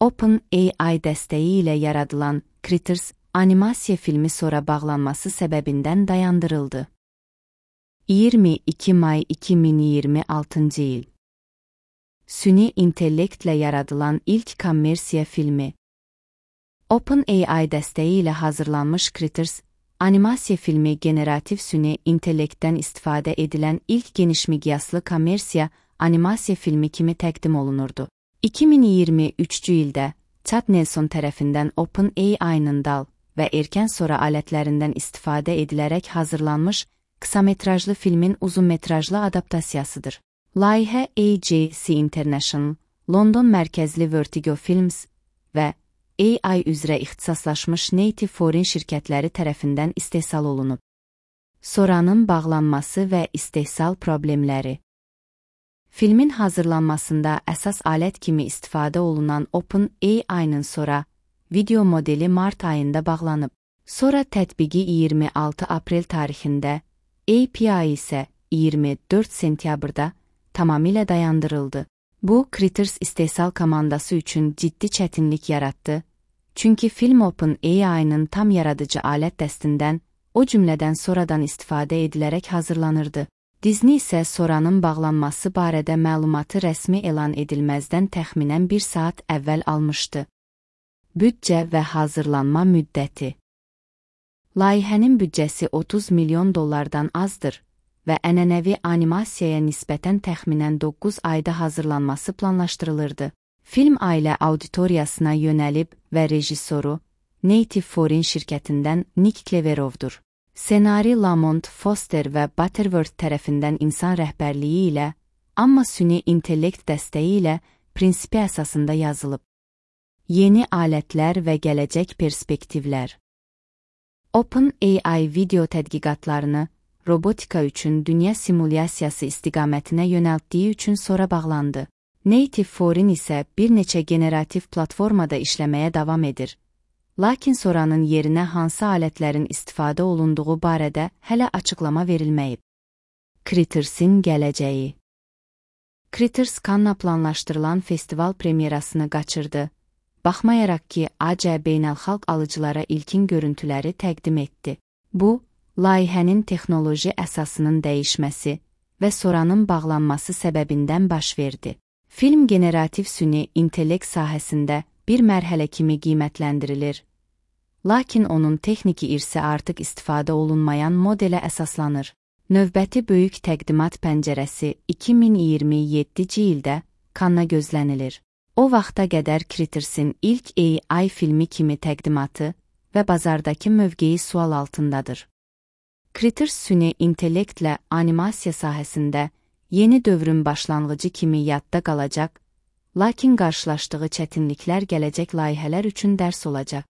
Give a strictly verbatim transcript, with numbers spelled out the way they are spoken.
OpenAI dəstəyi ilə yaradılan Critters animasiya filmi sonra bağlanması səbəbindən dayandırıldı. iyirmi iki may iki min iyirmi altıncı il. Süni intellektlə yaradılan ilk kommersiya filmi. OpenAI dəstəyi ilə hazırlanmış Critters animasiya filmi generativ süni intellektdən istifadə edilən ilk genişmiqyaslı kommersiya animasiya filmi kimi təqdim olunurdu. iki min iyirmi üçüncü ildə Chad Nelson tərəfindən OpenAI-nın dal və erkən sonra alətlərindən istifadə edilərək hazırlanmış qısametrajlı filmin uzunmetrajlı adaptasiyasıdır. Layihə A J C International, London mərkəzli Vertigo Films və A I üzrə ixtisaslaşmış Native Foreign şirkətləri tərəfindən istehsal olunub. Sonranın bağlanması və istehsal problemləri. Filmin hazırlanmasında əsas alət kimi istifadə olunan OpenAI-nın sonra video modeli mart ayında bağlanıb. Sonra tətbiqi iyirmi altı aprel tarixində, A P I isə iyirmi dörd sentyabrda tamamilə dayandırıldı. Bu, Critters istehsal komandası üçün ciddi çətinlik yaratdı, çünki film OpenAI-nın tam yaradıcı alət dəstindən, o cümlədən sonradan istifadə edilərək hazırlanırdı. Disney isə sonranın bağlanması barədə məlumatı rəsmi elan edilməzdən təxminən bir saat əvvəl almışdı. Büdcə və hazırlanma müddəti. Layihənin büdcəsi otuz milyon dollardan azdır və ənənəvi animasiyaya nisbətən təxminən doqquz ayda hazırlanması planlaşdırılırdı. Film ailə auditoriyasına yönəlib və rejissoru Native Foreign şirkətindən Nick Cleverovdur. Ssenari Lamont Foster və Butterworth tərəfindən insan rəhbərliyi ilə, amma süni intellekt dəstəyi ilə prinsipi əsasında yazılıb. Yeni alətlər və gələcək perspektivlər. OpenAI video tədqiqatlarını robotika üçün dünya simulyasiyası istiqamətinə yönəltdiyi üçün sonra bağlandı. Native Foreign isə bir neçə generativ platformada işləməyə davam edir. Lakin sonranın yerinə hansı alətlərin istifadə olunduğu barədə hələ açıqlama verilməyib. Critters'in gələcəyi. Critters Cannes-a planlaşdırılan festival premyerasını qaçırdı, baxmayaraq ki, A C beynəlxalq alıcılara ilkin görüntüləri təqdim etdi. Bu, layihənin texnoloji əsasının dəyişməsi və sonranın bağlanması səbəbindən baş verdi. Film generativ süni intellekt sahəsində bir mərhələ kimi qiymətləndirilir, lakin onun texniki irsi artıq istifadə olunmayan modelə əsaslanır. Növbəti böyük təqdimat pəncərəsi iki min iyirmi yeddinci ildə Cannes-a gözlənilir. O vaxta qədər Critters'in ilk A I filmi kimi təqdimatı və bazardakı mövqeyi sual altındadır. Critters süni intellektlə animasiya sahəsində yeni dövrün başlanğıcı kimi yadda qalacaq, lakin qarşılaşdığı çətinliklər gələcək layihələr üçün dərs olacaq.